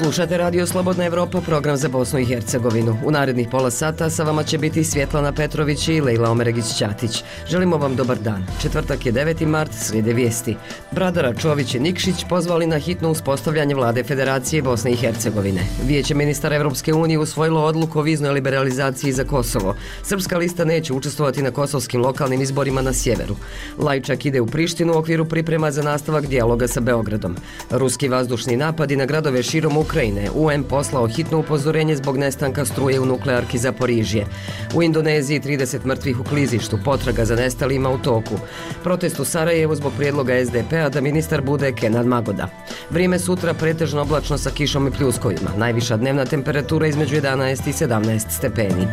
Slušate Radio Slobodna Evropa, program za Bosnu i Hercegovinu. U narednih pola sata sa vama će biti Svjetlana Petrović i Lejla Omeregić-Ćatić. Želimo vam dobar dan. Četvrtak je 9. mart, slijede vijesti. Bradara, Čović i Nikšić pozvali na hitno uspostavljanje vlade Federacije Bosne i Hercegovine. Vijeće ministara Evropske unije usvojilo odluku o viznoj liberalizaciji za Kosovo. Srpska lista neće učestvovati na kosovskim lokalnim izborima na sjeveru. Lajčak ide u Prištinu u okviru priprema za nastavak dijaloga sa Beogradom. Ruski vazdušni napadi na gradove širom Ukrajine. UN poslao hitno upozorenje zbog nestanka struje u nuklearki Zaporižje. U Indoneziji 30 mrtvih u klizištu, potraga za nestalima u toku. Protest u Sarajevu zbog prijedloga SDP-a da ministar bude Kenan Magoda. Vrijeme sutra pretežno oblačno sa kišom i pljuskovima. Najviša dnevna temperatura između 11 i 17 stepeni.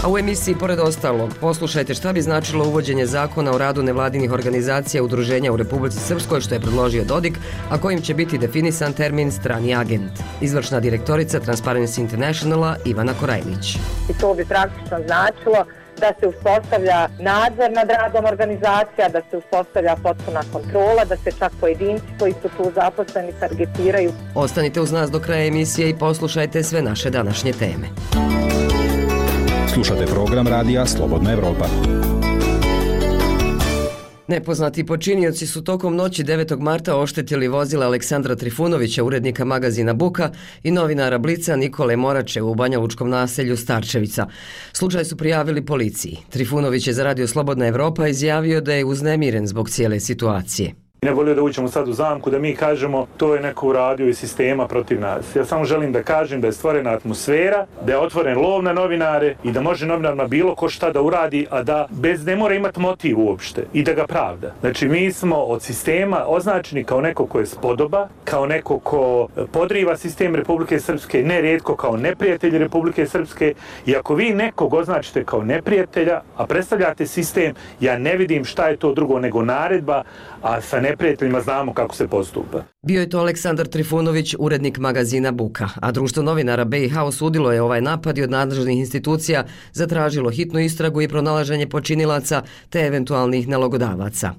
A u emisiji, pored ostalog, poslušajte šta bi značilo uvođenje zakona o radu nevladinih organizacija i udruženja u Republici Srpskoj, što je predložio Dodik, a kojim će biti definisan termin strani agent. Izvršna direktorica Transparency Internationala Ivana Korajlić. I to bi praktično značilo da se uspostavlja nadzor nad radom organizacija, da se uspostavlja potpuna kontrola, da se čak pojedinci koji su tu zaposleni targetiraju. Ostanite uz nas do kraja emisije i poslušajte sve naše današnje teme. Slušate program radija Slobodna Evropa. Nepoznati počinioci su tokom noći 9. marta oštetili vozila Aleksandra Trifunovića, urednika magazina Buka, i novinara Blica Nikole Morače u banjalučkom naselju Starčevica. Slučaj su prijavili policiji. Trifunović je za Radio Slobodna Evropa izjavio da je uznemiren zbog cijele situacije. Ne volio da uđemo sad u zamku, da mi kažemo to je neko uradio iz sistema protiv nas. Ja samo želim da kažem da je stvorena atmosfera, da je otvoren lov na novinare i da može novinarima bilo ko šta da uradi, a da ne mora imati motiv uopšte i da ga pravda. Znači mi smo od sistema označeni kao neko ko je spodoba, kao neko ko podriva sistem Republike Srpske, nerijetko kao neprijatelj Republike Srpske, i ako vi nekog označite kao neprijatelja, a predstavljate sistem, ja ne vidim šta je to drugo nego naredba, a sa neprijateljima znamo kako se postupa. Bio je to Aleksandar Trifunović, urednik magazina Buka, a Društvo novinara BiH osudilo je ovaj napad i od nadležnih institucija zatražilo hitnu istragu i pronalaženje počinilaca te eventualnih nalogodavaca.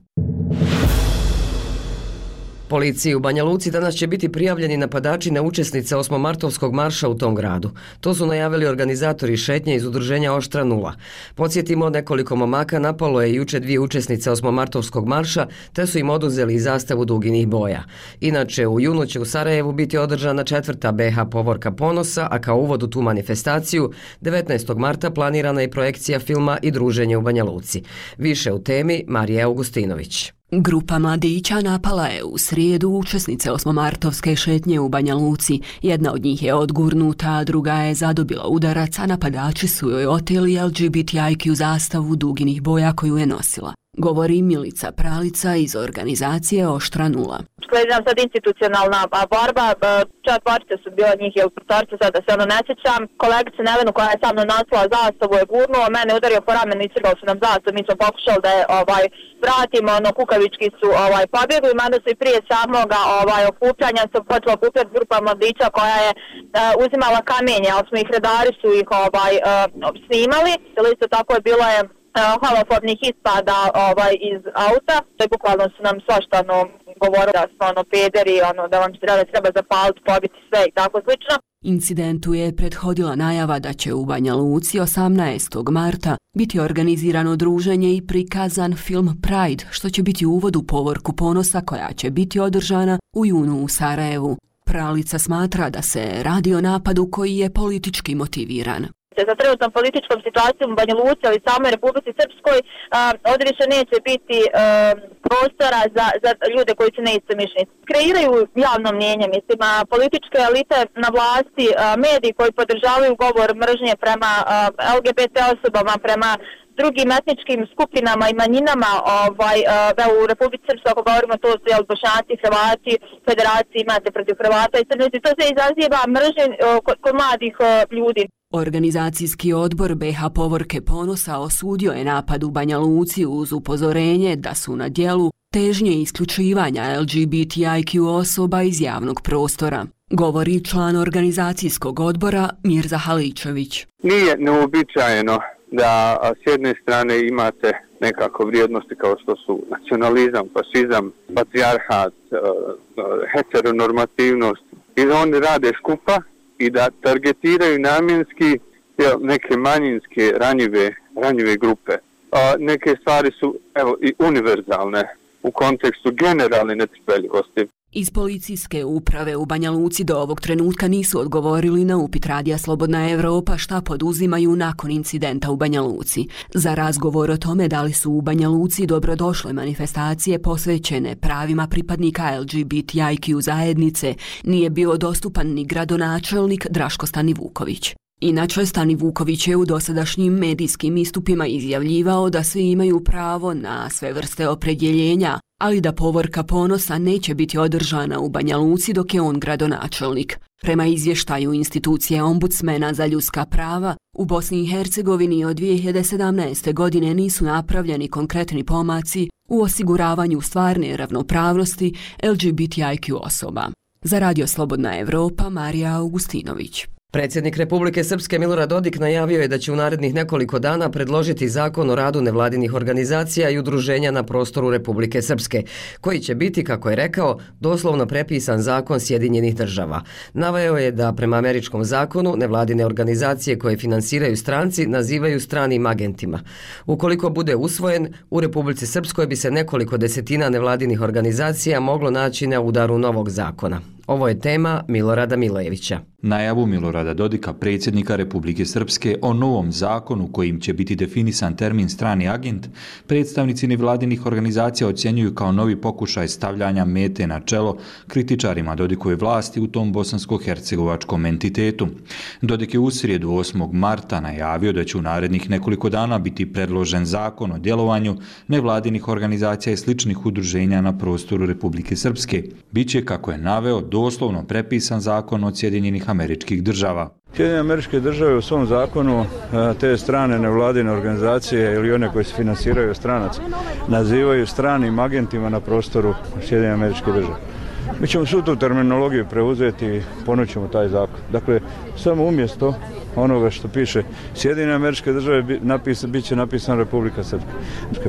Policiji u Banja Luci danas će biti prijavljeni napadači na učesnice 8-martovskog marša u tom gradu. To su najavili organizatori šetnje iz udruženja Oštra 0. Podsjetimo, nekoliko momaka napalo je juče 2 učesnice 8-martovskog marša, te su im oduzeli zastavu duginih boja. Inače, u junu će u Sarajevu biti održana 4. BH Povorka ponosa, a kao uvod u tu manifestaciju 19. marta planirana je projekcija filma i druženje u Banja Luci. Više u temi Marija Augustinović. Grupa mladića napala je u srijedu učesnice 8-martovske šetnje u Banja Luci. Jedna od njih je odgurnuta, a druga je zadobila udarac, a napadači su joj oteli LGBTIQ zastavu duginih boja koju je nosila. Govori Milica Pralica iz organizacije Oštra 0. Slijedi nam sad institucionalna borba, 4 su bila njih, ili 5, sad da se ne sjećam. Kolegica Nevenu koja je sa mnom nosila zastavu je gurnuo, mene udario po ramenu i crgao su nam zastavu, mi smo pokušali da je vratimo, kukavički su pobjegli, mada su i prije samoga okupljanja su počela okupljati grupa mladića koja je uzimala kamenje, ali smo ih redari su ih snimali, isto tako je bilo je homofobnih ispada iz auta, to je bukvalno su nam svašta govorili da smo pederi, da vam treba zapaliti, pobiti sve i tako slično. Incidentu je prethodila najava da će u Banja Luci 18. marta biti organizirano druženje i prikazan film Pride, što će biti uvod u Povorku ponosa koja će biti održana u junu u Sarajevu. Pralica smatra da se radi o napadu koji je politički motiviran. Za trenutnom političkom situacijom u Banja Luci, ali samoj Republici Srpskoj, ovdje više neće biti prostora za ljude koji su neistomišljenici. Kreiraju javno mnjenje, mislim, političke elite na vlasti, mediji koji podržavaju govor mržnje prema LGBT osobama, prema drugim etničkim skupinama i manjinama u Republici Srpskoj, ako govorimo to su Bošnjaci, Hrvati, federaciji imate protiv Hrvata i Crnici, to se izaziva mržnje kod mladih ljudi. Organizacijski odbor BH Povorke ponosa osudio je napad u Banja Luci uz upozorenje da su na djelu težnje isključivanja LGBTIQ osoba iz javnog prostora. Govori član organizacijskog odbora Mirza Haličević. Nije neuobičajeno da s jedne strane imate nekako vrijednosti kao što su nacionalizam, fašizam, patrijarhat, heteronormativnost i da oni rade skupa i da targetiraju namjenski neke manjinske ranjive grupe. Neke stvari su i univerzalne u kontekstu generalne netrpeljivosti. Iz policijske uprave u Banja Luci do ovog trenutka nisu odgovorili na upit Radija Slobodna Evropa šta poduzimaju nakon incidenta u Banja Luci. Za razgovor o tome da li su u Banja Luci dobrodošle manifestacije posvećene pravima pripadnika LGBTIQ zajednice nije bio dostupan ni gradonačelnik Draško Stanivuković. Inače, Stanivuković je u dosadašnjim medijskim istupima izjavljivao da svi imaju pravo na sve vrste opredjeljenja, ali da povorka ponosa neće biti održana u Banja Luci dok je on gradonačelnik. Prema izvještaju institucije ombudsmena za ljudska prava, u Bosni i Hercegovini od 2017. godine nisu napravljeni konkretni pomaci u osiguravanju stvarne ravnopravnosti LGBTIQ osoba. Za Radio Slobodna Evropa, Marija Augustinović. Predsjednik Republike Srpske Milorad Dodik najavio je da će u narednih nekoliko dana predložiti zakon o radu nevladinih organizacija i udruženja na prostoru Republike Srpske, koji će biti, kako je rekao, doslovno prepisan zakon Sjedinjenih država. Naveo je da prema američkom zakonu nevladine organizacije koje finansiraju stranci nazivaju stranim agentima. Ukoliko bude usvojen, u Republici Srpskoj bi se nekoliko desetina nevladinih organizacija moglo naći na udaru novog zakona. Ovo je tema Milorada Milojevića. Najavu Milorada Dodika, predsjednika Republike Srpske, o novom zakonu kojim će biti definisan termin strani agent, predstavnici nevladinih organizacija ocjenjuju kao novi pokušaj stavljanja mete na čelo kritičarima Dodikove vlasti u tom bosansko-hercegovačkom entitetu. Dodik je u srijedu 8. marta najavio da će u narednih nekoliko dana biti predložen zakon o djelovanju nevladinih organizacija i sličnih udruženja na prostoru Republike Srpske. Biće, kako je naveo, doslovno prepisan zakon od Sjedinjenih Američkih Država. Sjedinjene Američke Države u svom zakonu te strane nevladine organizacije ili one koje se finansiraju od stranaca nazivaju stranim agentima na prostoru Sjedinjenih Američkih Država. Mi ćemo svu tu terminologiju preuzeti i ponućemo taj zakon. Dakle, samo umjesto onoga što piše Sjedinjene Američke Države bit će napisano Republika Srpska.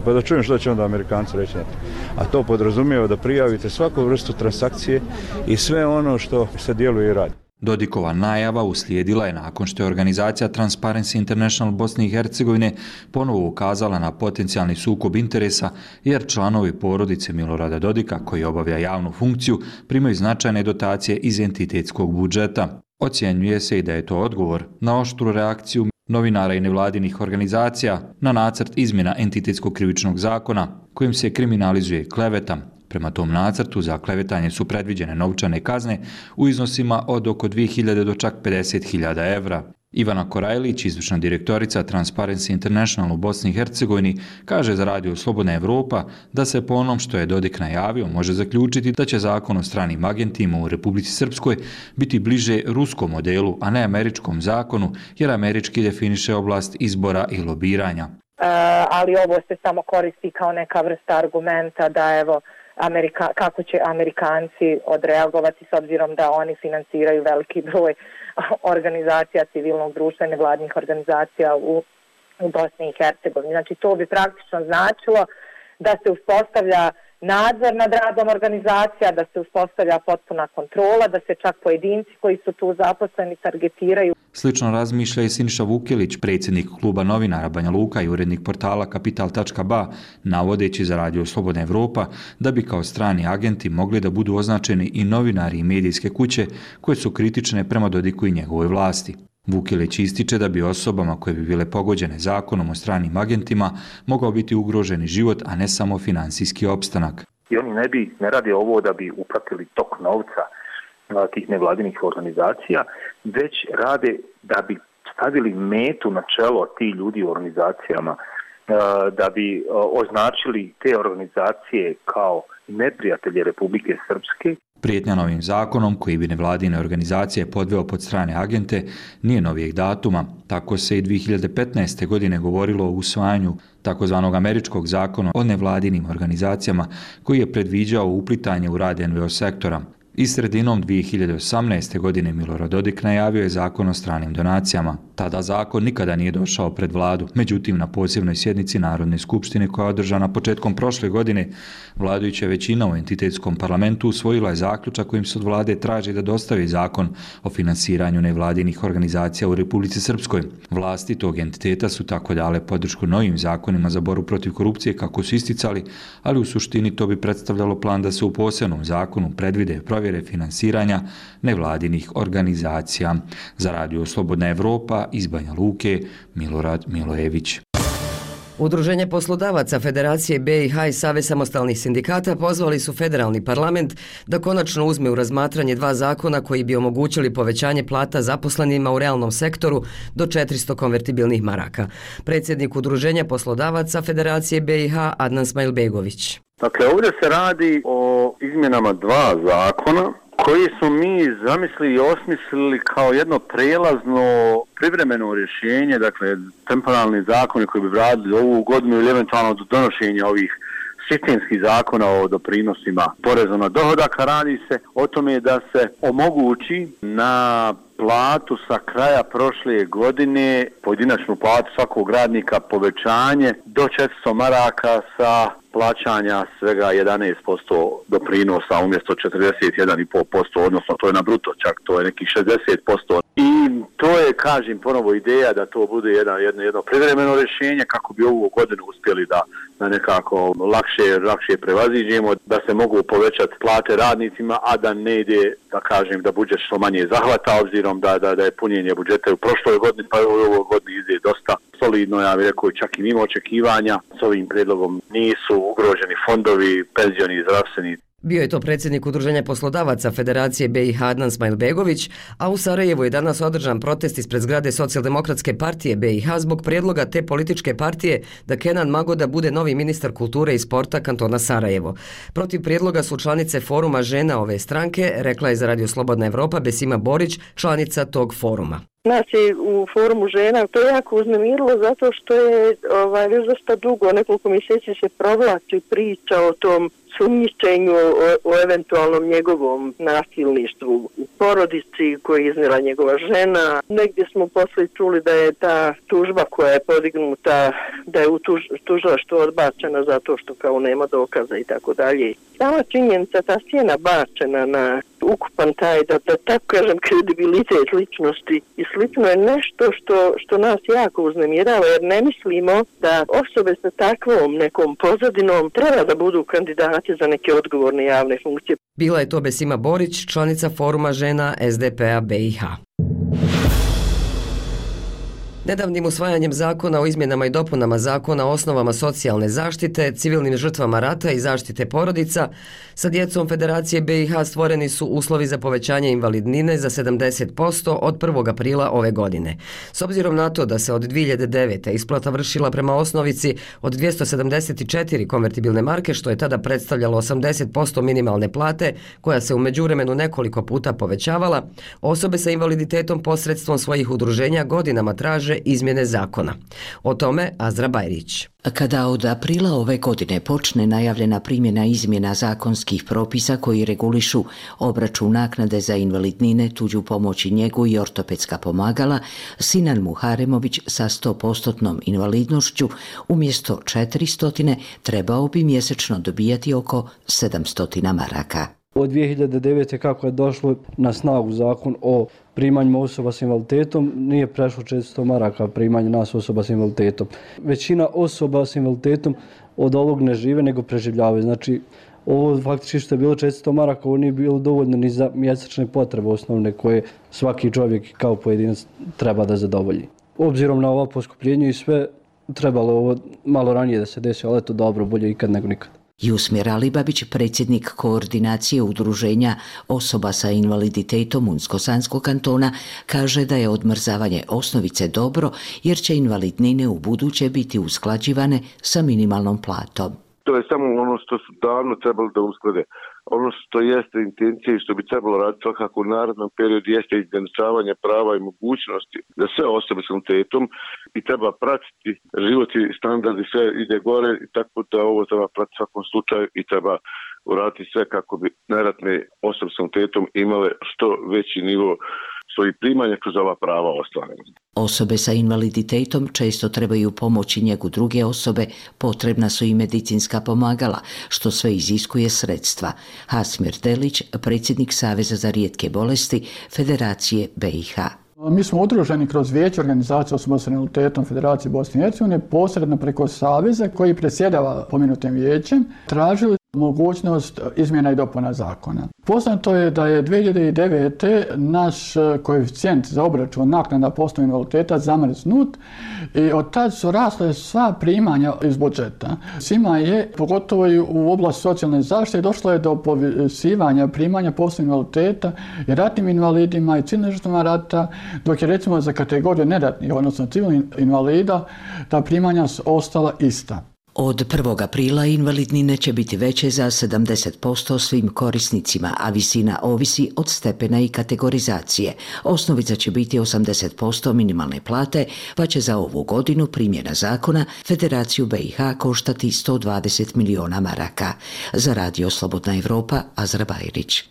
Pa da čujem što će onda Amerikanci reći na to. A to podrazumijeva da prijavite svaku vrstu transakcije i sve ono što se djeluje i radi. Dodikova najava uslijedila je nakon što je organizacija Transparency International Bosne i Hercegovine ponovo ukazala na potencijalni sukob interesa jer članovi porodice Milorada Dodika, koji obavlja javnu funkciju, primaju značajne dotacije iz entitetskog budžeta. Ocjenjuje se i da je to odgovor na oštru reakciju novinara i nevladinih organizacija na nacrt izmjena entitetskog krivičnog zakona kojim se kriminalizuje kleveta. Prema tom nacrtu za klevetanje su predviđene novčane kazne u iznosima od oko 2.000 do čak 50.000 evra. Ivana Korajlić, izvršna direktorica Transparency International u Bosni i Hercegovini, kaže za Radio Slobodna Evropa da se po onom što je Dodik najavio može zaključiti da će zakon o stranim agentima u Republici Srpskoj biti bliže ruskom modelu, a ne američkom zakonu, jer američki definiše oblast izbora i lobiranja. Ali ovo se samo koristi kao neka vrsta argumenta da kako će Amerikanci odreagovati s obzirom da oni finansiraju veliki broj organizacija civilnog društva i nevladnih organizacija u Bosni i Hercegovini. Znači to bi praktično značilo da se uspostavlja nadzor nad radom organizacija, da se uspostavlja potpuna kontrola, da se čak pojedinci koji su tu zaposleni targetiraju. Slično razmišlja i Siniša Vukelić, predsjednik kluba novinara Banja Luka i urednik portala Kapital.ba, navodeći za Radio Slobodna Evropa da bi kao strani agenti mogli da budu označeni i novinari i medijske kuće koje su kritične prema Dodiku i njegovoj vlasti. Vukelić ističe da bi osobama koje bi bile pogođene zakonom o stranim agentima mogao biti ugroženi život, a ne samo finansijski opstanak. I oni ne rade ovo da bi upratili tok novca tih nevladinih organizacija, već rade da bi stavili metu na čelo ti ljudi u organizacijama, da bi označili te organizacije kao neprijatelje Republike Srpske. Prijetnja novim zakonom, koji bi nevladine organizacije podveo pod strane agente, nije novijeg datuma. Tako se i 2015. godine govorilo o usvajanju takozvanog američkog zakona o nevladinim organizacijama, koji je predviđao uplitanje u rad NVO sektora. I sredinom 2018. godine Milorad Dodik najavio je zakon o stranim donacijama. Tada zakon nikada nije došao pred vladu. Međutim, na posebnoj sjednici Narodne skupštine koja je održana početkom prošle godine, vladajuća većina u entitetskom parlamentu usvojila je zaključak kojim se od vlade traži da dostavi zakon o finansiranju nevladinih organizacija u Republici Srpskoj. Vlasti tog entiteta su tako dale podršku novim zakonima za borbu protiv korupcije kako su isticali, ali u suštini to bi predstavljalo plan da se u posebnom zakonu predvide provjere finansiranja nevladinih organizacija. Za Radio Slobodna Evropa iz Banja Luke, Milorad Milojević. Udruženje poslodavaca Federacije BiH i Savez samostalnih sindikata pozvali su federalni parlament da konačno uzme u razmatranje 2 zakona koji bi omogućili povećanje plata zaposlenima u realnom sektoru do 400 konvertibilnih maraka. Predsjednik Udruženja poslodavaca Federacije BiH Adnan Smajlbegović. Dakle, ovdje se radi o izmjenama 2 zakona koji smo mi zamislili i osmislili kao jedno prijelazno privremeno rješenje, dakle temporalni zakoni koji bi vradili ovu godinu ili eventualno do donošenja ovih sistemskih zakona o doprinosima poreza na dohodak. Radi se o tome da se omogući na platu sa kraja prošle godine, pojedinačnu platu svakog radnika, povećanje do 400 maraka sa plaćanja svega 11% doprinosa umjesto 41,5%, odnosno to je na bruto čak, to je nekih 60%. I to je, kažem, ponovo ideja da to bude jedno privremeno rješenje kako bi ovu godinu uspjeli da nekako lakše prevaziđemo, da se mogu povećati plate radnicima, a da ne ide, da kažem, da budžet što manje zahvata, obzirom da je punjenje budžeta u prošloj godini, pa u ovoj godini ide dosta solidno, ja bih rekao, čak i mimo očekivanja. S ovim prijedlogom nisu ugroženi fondovi, penzioni i zdravstveni. Bio je to predsjednik Udruženja poslodavaca Federacije BiH Adnan Smajlbegović, a u Sarajevu je danas održan protest ispred zgrade Socijaldemokratske partije BiH zbog prijedloga te političke partije da Kenan Magoda bude novi ministar kulture i sporta kantona Sarajevo. Protiv prijedloga su članice foruma žena ove stranke, rekla je za Radio Slobodna Evropa Besima Borić, članica tog foruma. Nas je u forumu žena to jako uznemirilo zato što je već dosta dugo, nekoliko mjeseci se provlači priča o tom sumnjičenju o eventualnom njegovom nasilništvu u porodici koji je iznijela njegova žena. Negdje smo poslije čuli da je ta tužba koja je podignuta, da je u tužilaštvu odbačena zato što kao nema dokaza i tako dalje. Sama činjenica, ta sjena bačena na ukupan taj, da tako kažem, kredibilitet ličnosti i slično je nešto što nas jako uznemirava, jer ne mislimo da osobe sa takvom nekom pozadinom treba da budu kandidati za neke odgovorne javne funkcije. Bila je to Besima Borić, članica foruma žena SDP-a BiH. Nedavnim usvajanjem zakona o izmjenama i dopunama zakona o osnovama socijalne zaštite, civilnim žrtvama rata i zaštite porodica, sa djecom Federacije BiH stvoreni su uslovi za povećanje invalidnine za 70% od 1. aprila ove godine. S obzirom na to da se od 2009. isplata vršila prema osnovici od 274 konvertibilne marke, što je tada predstavljalo 80% minimalne plate, koja se u međuvremenu nekoliko puta povećavala, osobe sa invaliditetom posredstvom svojih udruženja godinama traže izmjene zakona. O tome Azra Bajrić. Kada od aprila ove godine počne najavljena primjena izmjena zakonskih propisa koji regulišu obračun naknade za invalidnine, tuđu pomoć i njegu i ortopedska pomagala, Sinan Muharemović sa 100% invalidnošću umjesto 400 trebao bi mjesečno dobijati oko 700 maraka. Od 2009. kako je došlo na snagu zakon o primanjima osoba s invaliditetom, nije prešlo 400 maraka primanje nas osoba s invaliditetom. Većina osoba s invaliditetom od ovog ne žive, nego preživljavaju. Znači, ovo faktički što je bilo 400 maraka, ovo nije bilo dovoljno ni za mjesečne potrebe osnovne koje svaki čovjek kao pojedinac treba da zadovolji. Obzirom na ovo poskupljenje i sve, trebalo ovo malo ranije da se desi, ali eto dobro, bolje ikad nego nikad. Jusmir Alibabić, predsjednik koordinacije udruženja osoba sa invaliditetom Unsko-Sanskog kantona, kaže da je odmrzavanje osnovice dobro jer će invalidnine u buduće biti usklađivane sa minimalnom platom. To je samo ono što su davno trebali da usklade. Ono što jeste intencija i što bi trebalo raditi svakako u narednom periodu jeste izjednačavanje prava i mogućnosti za sve osobe s invaliditetom i treba pratiti život i standard i sve ide gore i tako da ovo treba pratiti u svakom slučaju i treba uraditi sve kako bi najratne osobe s invaliditetom imale što veći nivo svojih primanja kroz ova prava ostvarena. Osobe sa invaliditetom često trebaju pomoć i njegu druge osobe, potrebna su i medicinska pomagala, što sve iziskuje sredstva. Hasmir Delić, predsjednik Saveza za rijetke bolesti Federacije BiH. Mi smo udruženi kroz Vijeće organizacije osoba s invaliditetom Federacije Bosne i Hercegovine, posredno preko Saveza koji predsjedava pomenutim vijećem, tražili mogućnost izmjena i dopuna zakona. Poznato je da je 2009. naš koeficijent za obračun naknada po osnovi invaliditeta zamrznut i od tad su rasle sva primanja iz budžeta. Svima je, pogotovo i u oblasti socijalne zaštite, došlo je do povisivanja primanja po osnovi invaliditeta i ratnim invalidima i civilnim žrtvama rata, dok je recimo za kategoriju neratnih, odnosno civilnih invalida, ta primanja su ostala ista. Od 1. aprila invalidnine će biti veće za 70% svim korisnicima, a visina ovisi od stepena i kategorizacije. Osnovica će biti 80% minimalne plate, pa će za ovu godinu primjena zakona Federaciju BiH koštati 120 miliona maraka. Za Radio Slobodna Evropa, Azra Bajrić.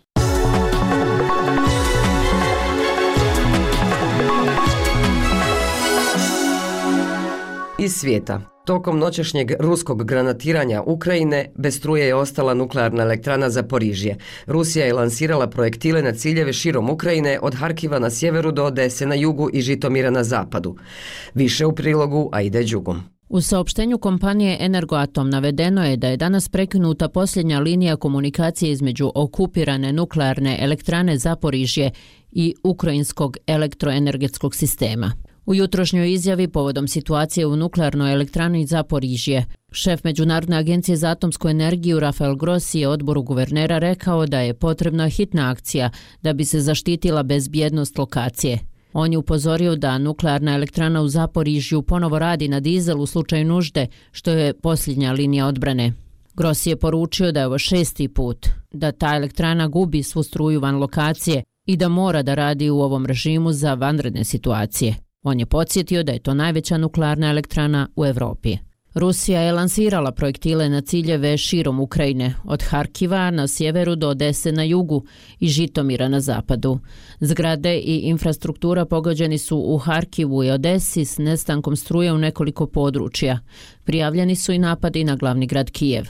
Iz svijeta. Tokom noćašnjeg ruskog granatiranja Ukrajine bez struje je ostala nuklearna elektrana Zaporižje. Rusija je lansirala projektile na ciljeve širom Ukrajine od Harkiva na sjeveru do Odese na jugu i Žitomira na zapadu. Više u prilogu Aide Đugum. U saopštenju kompanije Energoatom navedeno je da je danas prekinuta posljednja linija komunikacije između okupirane nuklearne elektrane Zaporižje i ukrajinskog elektroenergetskog sistema. U jutrošnjoj izjavi povodom situacije u nuklearnoj elektrani Zaporižje, šef Međunarodne agencije za atomsku energiju Rafael Grossi je odboru guvernera rekao da je potrebna hitna akcija da bi se zaštitila bezbjednost lokacije. On je upozorio da nuklearna elektrana u Zaporižju ponovo radi na dizel u slučaju nužde, što je posljednja linija odbrane. Grossi je poručio da je ovo 6. put da ta elektrana gubi svu struju van lokacije i da mora da radi u ovom režimu za vanredne situacije. On je podsjetio da je to najveća nuklearna elektrana u Evropi. Rusija je lansirala projektile na ciljeve širom Ukrajine, od Harkiva na sjeveru do Odese na jugu i Žitomira na zapadu. Zgrade i infrastruktura pogođeni su u Harkivu i Odesi s nestankom struje u nekoliko područja. Prijavljeni su i napadi na glavni grad Kijev.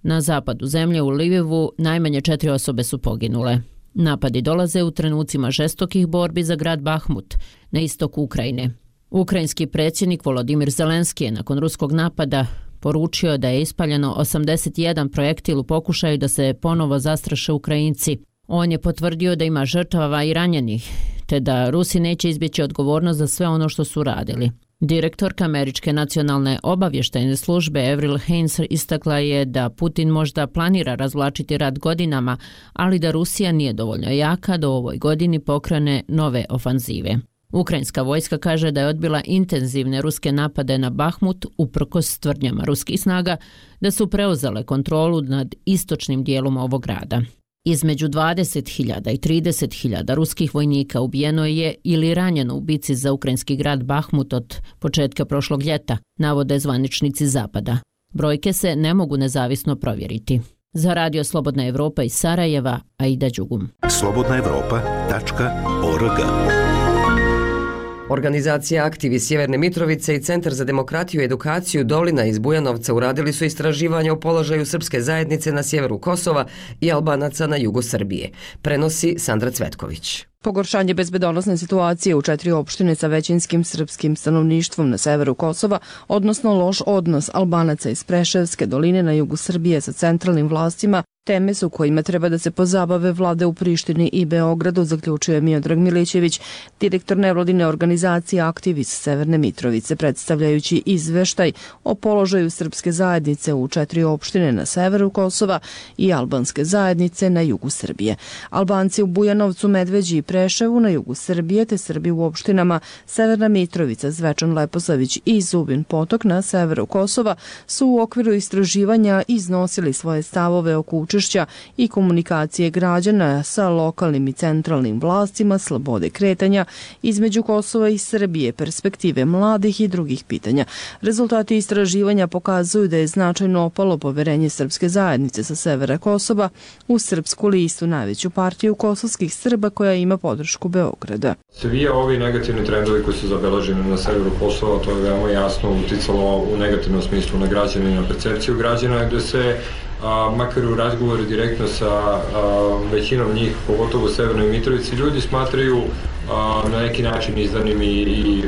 Na zapadu zemlje u Lvivu najmanje 4 osobe su poginule. Napadi dolaze u trenucima žestokih borbi za grad Bahmut na istoku Ukrajine. Ukrajinski predsjednik Volodimir Zelenski je nakon ruskog napada poručio da je ispaljeno 81 projektil u pokušaju da se ponovo zastraše Ukrajinci. On je potvrdio da ima žrtava i ranjenih, te da Rusi neće izbjeći odgovornost za sve ono što su radili. Direktorka Američke nacionalne obavještajne službe Avril Haines istakla je da Putin možda planira razvlačiti rat godinama, ali da Rusija nije dovoljno jaka da u ovoj godini pokrene nove ofanzive. Ukrajinska vojska kaže da je odbila intenzivne ruske napade na Bahmut uprkos tvrdnjama ruskih snaga da su preuzele kontrolu nad istočnim dijelom ovog grada. Između 20.000 i 30.000 ruskih vojnika ubijeno je ili ranjeno u bici za ukrajinski grad Bahmut od početka prošlog ljeta, navode zvaničnici Zapada. Brojke se ne mogu nezavisno provjeriti. Za Radio Slobodna Evropa iz Sarajeva, Aida Đugum. slobodnaevropa.org. Organizacija Aktiv iz Sjeverne Mitrovice i Centar za demokratiju i edukaciju Dolina iz Bujanovca uradili su istraživanja o položaju srpske zajednice na sjeveru Kosova i Albanaca na jugu Srbije. Prenosi Sandra Cvetković. Pogoršanje bezbedonosne situacije u 4 opštine sa većinskim srpskim stanovništvom na severu Kosova, odnosno loš odnos Albanaca iz Preševske doline na jugu Srbije sa centralnim vlastima, teme su kojima treba da se pozabave vlade u Prištini i Beogradu, zaključuje Miodrag Milićević, direktor nevladine organizacije Aktiv iz Severne Mitrovice, predstavljajući izveštaj o položaju srpske zajednice u 4 opštine na severu Kosova i albanske zajednice na jugu Srbije. Albanci u Bujanovcu, Medveđi i Preševu na jugu Srbije, te Srbi u opštinama Severna Mitrovica, Zvečan Leposavić i Zubin Potok na severu Kosova su u okviru istraživanja iznosili svoje stavove oko učešća i komunikacije građana sa lokalnim i centralnim vlastima, slobode kretanja između Kosova i Srbije, perspektive mladih i drugih pitanja. Rezultati istraživanja pokazuju da je značajno opalo poverenje srpske zajednice sa severa Kosova u Srpsku listu, najveću partiju kosovskih Srba koja ima podršku Beograda. Svi ovi negativni trendovi koji su zabeleženi na severu Kosova, to je veoma jasno uticalo u negativnom smislu na građane i na percepciju građana, gde se makar u razgovoru direktno sa većinom njih, pogotovo u Severnoj Mitrovici, ljudi smatraju na neki način izdanim i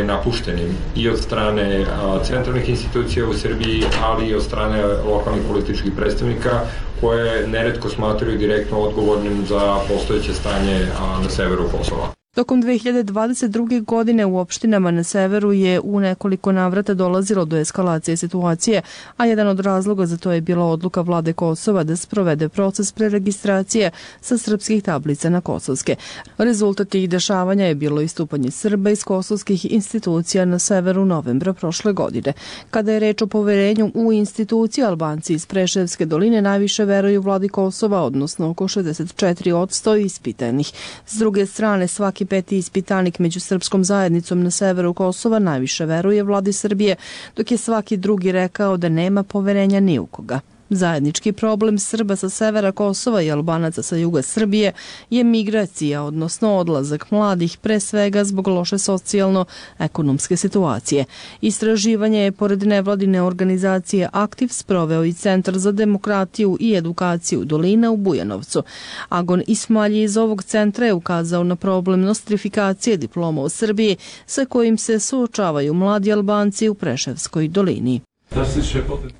napuštenim i od strane centralnih institucija u Srbiji, ali i od strane lokalnih političkih predstavnika koje neretko smatraju direktno odgovornim za postojeće stanje na severu Kosova. Tokom 2022. godine u opštinama na severu je u nekoliko navrata dolazilo do eskalacije situacije, a jedan od razloga za to je bila odluka vlade Kosova da sprovede proces preregistracije sa srpskih tablica na kosovske. Rezultat tih dešavanja je bilo istupanje Srba iz kosovskih institucija na severu novembra prošle godine. Kada je reč o poverenju u institucije, Albanci iz Preševske doline najviše veruju vladi Kosova, odnosno oko 64% ispitanih. S druge strane, svaki peti ispitanik među srpskom zajednicom na severu Kosova najviše veruje vladi Srbije, dok je svaki drugi rekao da nema poverenja ni u koga. Zajednički problem Srba sa severa Kosova i Albanaca sa juga Srbije je migracija, odnosno odlazak mladih, pre svega zbog loše socijalno-ekonomske situacije. Istraživanje je pored nevladine organizacije Aktiv sproveo i Centar za demokratiju i edukaciju Dolina u Bujanovcu. Agon Ismalji iz ovog centra je ukazao na problem nostrifikacije diploma u Srbiji sa kojim se suočavaju mladi Albanci u Preševskoj dolini.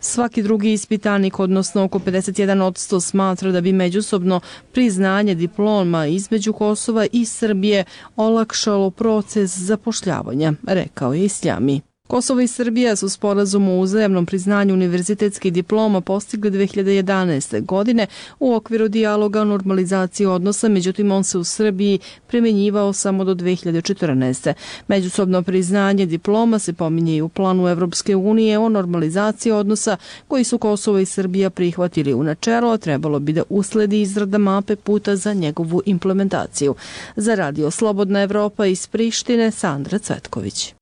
Svaki drugi ispitanik, odnosno oko 51%, smatra da bi međusobno priznanje diploma između Kosova i Srbije olakšalo proces zapošljavanja, rekao je Isljami. Kosovo i Srbija su sporazum o uzajamnom priznanju univerzitetskih diploma postigli 2011. godine u okviru dijaloga o normalizaciji odnosa, međutim on se u Srbiji primjenjivao samo do 2014. Međusobno priznanje diploma se pominje i u planu Evropske unije o normalizaciji odnosa koji su Kosovo i Srbija prihvatili u načelo, a trebalo bi da usledi izrada mape puta za njegovu implementaciju. Za Radio Slobodna Evropa iz Prištine, Sandra Cvetković.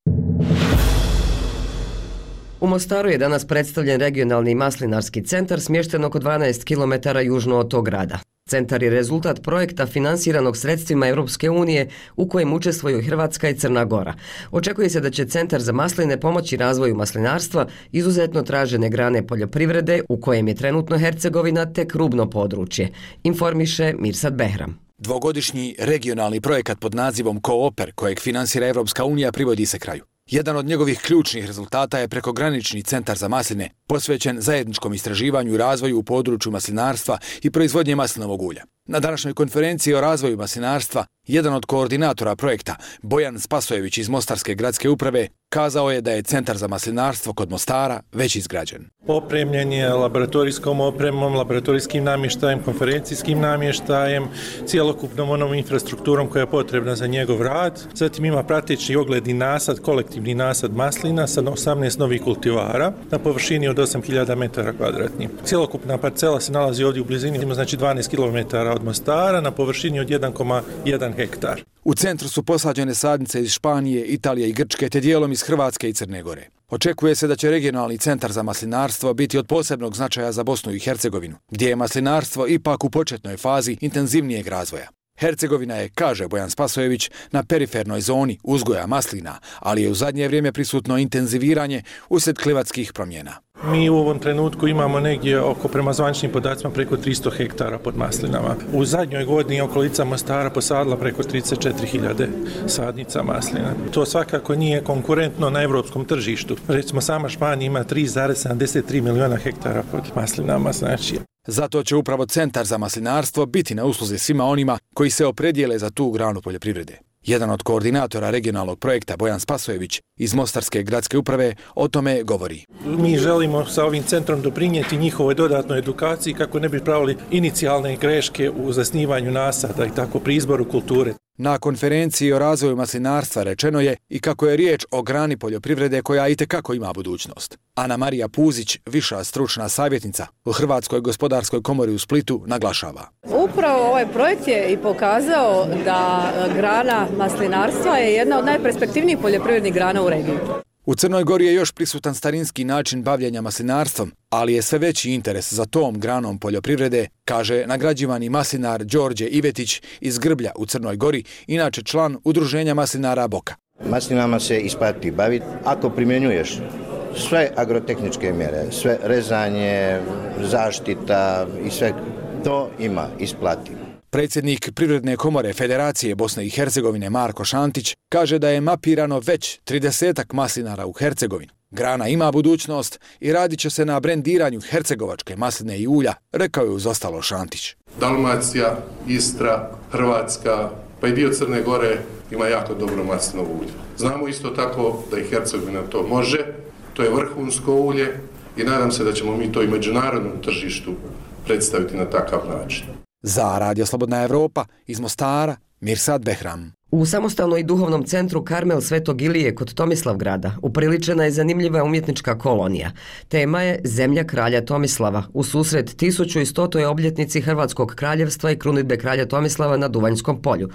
U Mostaru je danas predstavljen regionalni maslinarski centar smješten oko 12 km južno od tog grada. Centar je rezultat projekta finansiranog sredstvima Europske unije u kojem učestvuju Hrvatska i Crna Gora. Očekuje se da će Centar za masline pomoći razvoju maslinarstva, izuzetno tražene grane poljoprivrede u kojem je trenutno Hercegovina tek rubno područje, informiše Mirsad Behram. Dvogodišnji regionalni projekat pod nazivom Kooper, kojeg finansira Evropska unija, privodi se kraju. Jedan od njegovih ključnih rezultata je prekogranični centar za masline, posvećen zajedničkom istraživanju i razvoju u području maslinarstva i proizvodnje maslinovog ulja. Na današnjoj konferenciji o razvoju maslinarstva, jedan od koordinatora projekta, Bojan Spasojević iz Mostarske gradske uprave, kazao je da je centar za maslinarstvo kod Mostara već izgrađen. Opremljen je laboratorijskom opremom, laboratorijskim namještajem, konferencijskim namještajem, cijelokupnom onom infrastrukturom koja je potrebna za njegov rad. Zatim ima prateći ogledni nasad, kolektivni nasad maslina sa 18 novih kultivara na površini od 8000 metara kvadratnih. Cijelokupna parcela se nalazi ovdje u blizini, ima znači 12 km od Mostara na površini od 1,1 hektar. U centru su posađene sadnice iz Španije, Italije i Grčke, te dijelom iz Hrvatske i Crne Gore. Očekuje se da će regionalni centar za maslinarstvo biti od posebnog značaja za Bosnu i Hercegovinu, gdje je maslinarstvo ipak u početnoj fazi intenzivnijeg razvoja. Hercegovina je, kaže Bojan Spasojević, na perifernoj zoni uzgoja maslina, ali je u zadnje vrijeme prisutno intenziviranje uslijed klimatskih promjena. Mi u ovom trenutku imamo negdje oko, prema zvaničnim podacima, preko 300 hektara pod maslinama. U zadnjoj godini okolica Mostara posadila preko 34.000 sadnica maslina. To svakako nije konkurentno na evropskom tržištu. Recimo sama Španija ima 3,73 miliona hektara pod maslinama, znači. Zato će upravo Centar za maslinarstvo biti na usluzi svima onima koji se opredijele za tu granu poljoprivrede. Jedan od koordinatora regionalnog projekta, Bojan Spasojević iz Mostarske gradske uprave, o tome govori. Mi želimo sa ovim centrom doprinijeti njihovoj dodatnoj edukaciji kako ne bi pravili inicijalne greške u zasnivanju nasada i tako pri izboru kulture. Na konferenciji o razvoju maslinarstva rečeno je i kako je riječ o grani poljoprivrede koja itekako ima budućnost. Ana Marija Puzić, viša stručna savjetnica u Hrvatskoj gospodarskoj komori u Splitu, naglašava. Upravo ovaj projekt je i pokazao da grana maslinarstva je jedna od najperspektivnijih poljoprivrednih grana u regiji. U Crnoj Gori je još prisutan starinski način bavljenja maslinarstvom, ali je sve veći interes za tom granom poljoprivrede, kaže nagrađivani maslinar Đorđe Ivetić iz Grblja u Crnoj Gori, inače član Udruženja maslinara Boka. Maslinama se isplati baviti ako primjenjuješ sve agrotehničke mjere, sve rezanje, zaštita i sve to ima isplati. Predsjednik Privredne komore Federacije Bosne i Hercegovine Marko Šantić kaže da je mapirano već 30 maslinara u Hercegovini. Grana ima budućnost i radit će se na brendiranju hercegovačke masline i ulja, rekao je uz ostalo Šantić. Dalmacija, Istra, Hrvatska, pa i dio Crne Gore ima jako dobro maslinovo ulje. Znamo isto tako da i Hercegovina to može, to je vrhunsko ulje i nadam se da ćemo mi to i međunarodnom tržištu predstaviti na takav način. Za Radio Slobodna Evropa iz Mostara, Mirsad Behram. U samostalnom i duhovnom centru Karmel Svetog Ilije kod Tomislavgrada upriličena je zanimljiva umjetnička kolonija. Tema je Zemlja kralja Tomislava u susret 1100. obljetnici Hrvatskog kraljevstva i krunidbe kralja Tomislava na Duvanjskom polju.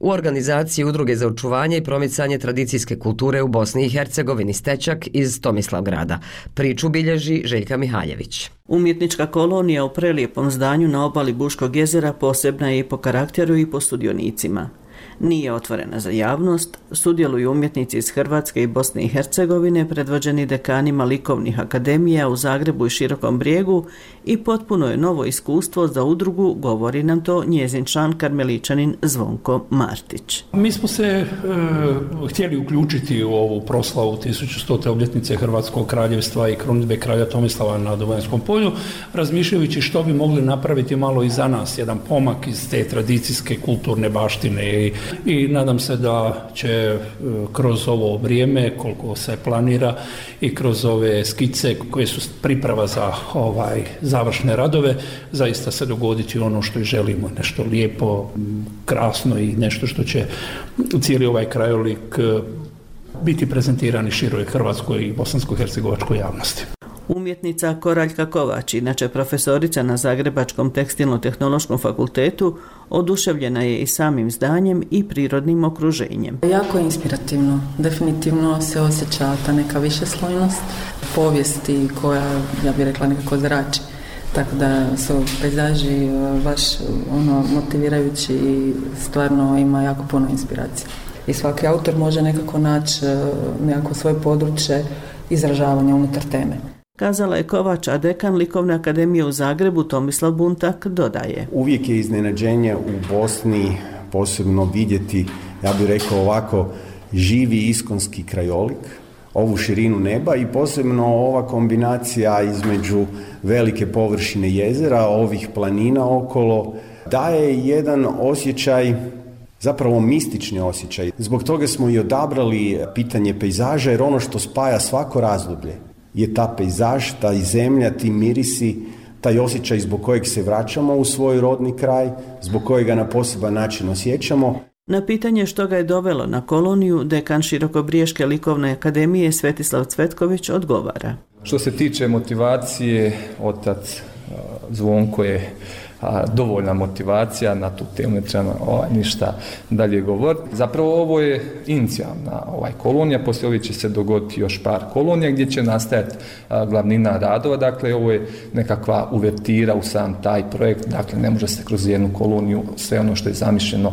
U organizaciji Udruge za očuvanje i promicanje tradicijske kulture u Bosni i Hercegovini Stečak iz Tomislavgrada. Priču bilježi Željka Mihaljević. Umjetnička kolonija u prelijepom zdanju na obali Buškog jezera posebna je i po karakteru i po sudionicima. Nije otvorena za javnost, sudjeluju umjetnici iz Hrvatske i Bosne i Hercegovine, predvođeni dekanima likovnih akademija u Zagrebu i Širokom Brijegu i potpuno je novo iskustvo za udrugu, govori nam to njezin član karmeličanin Zvonko Martić. Mi smo se htjeli uključiti u ovu proslavu 1100. obljetnice Hrvatskog kraljevstva i krunidbe kralja Tomislava na Duvanjskom polju, razmišljajući što bi mogli napraviti malo i za nas, jedan pomak iz te tradicijske kulturne baštine i nadam se da će kroz ovo vrijeme, koliko se planira i kroz ove skice koje su priprava za završne radove, zaista se dogoditi ono što i želimo, nešto lijepo, krasno i nešto što će cijeli ovaj krajolik biti prezentirani široj hrvatskoj i bosansko-hercegovačkoj javnosti. Umjetnica Koraljka Kovač, inače profesorica na Zagrebačkom tekstilno-tehnološkom fakultetu, oduševljena je i samim zdanjem i prirodnim okruženjem. Jako je inspirativno. Definitivno se osjeća ta neka višeslojnost povijesti koja, ja bih rekla, nekako zrači. Tako da su pejzaži baš motivirajući i stvarno ima jako puno inspiracije. I svaki autor može nekako naći nekako svoje područje izražavanja unutar teme. Kazala je Kovač, a dekan Likovne akademije u Zagrebu Tomislav Buntak dodaje. Uvijek je iznenađenje u Bosni posebno vidjeti, ja bih rekao ovako, živi iskonski krajolik, ovu širinu neba i posebno ova kombinacija između velike površine jezera, ovih planina okolo, daje jedan osjećaj, zapravo mistični osjećaj. Zbog toga smo i odabrali pitanje pejzaža, jer ono što spaja svako razdoblje je ta pejzaž, ta zemlja, ti mirisi, taj osjećaj zbog kojeg se vraćamo u svoj rodni kraj, zbog kojega na poseban način osjećamo. Na pitanje što ga je dovelo na koloniju, dekan Širokobriješke likovne akademije Svetislav Cvetković odgovara. Što se tiče motivacije, otac Zvonko je dovoljna motivacija na tu temu, ne treba ništa dalje govoriti. Zapravo ovo je inicijalna kolonija, poslije ovih će se dogoditi još par kolonija gdje će nastajati glavnina radova, dakle ovo je nekakva uvertira u sam taj projekt, dakle ne može se kroz jednu koloniju sve ono što je zamišljeno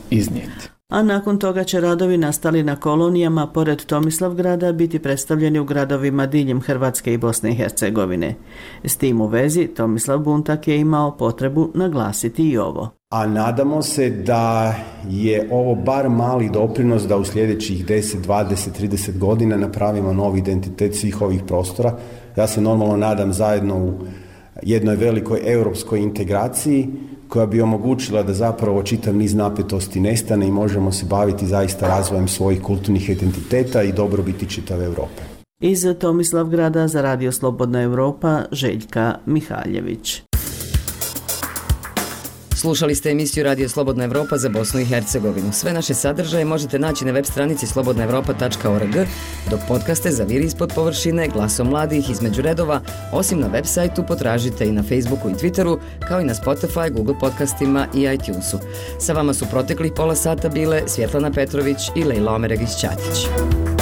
iznijeti. A nakon toga će radovi nastali na kolonijama pored Tomislavgrada biti predstavljeni u gradovima diljem Hrvatske i Bosne i Hercegovine. S tim u vezi Tomislav Buntak je imao potrebu naglasiti i ovo. A nadamo se da je ovo bar mali doprinos da u sljedećih 10, 20, 30 godina napravimo novi identitet svih ovih prostora. Ja se normalno nadam zajedno u jednoj velikoj europskoj integraciji koja bi omogućila da zapravo čitav niz napetosti nestane i možemo se baviti zaista razvojem svojih kulturnih identiteta i dobrobiti čitave Europe. Iz Tomislavgrada za Radio Slobodna Evropa, Željka Mihaljević. Slušali ste emisiju Radio Slobodna Evropa za Bosnu i Hercegovinu. Sve naše sadržaje možete naći na web stranici slobodnaevropa.org, dok podcaste Zaviri ispod površine, Glasom mladih, Između redova, osim na web sajtu potražite i na Facebooku i Twitteru, kao i na Spotify, Google podcastima i iTunesu. Sa vama su proteklih pola sata bile Svjetlana Petrović i Lejla Omeregić-Ćatić.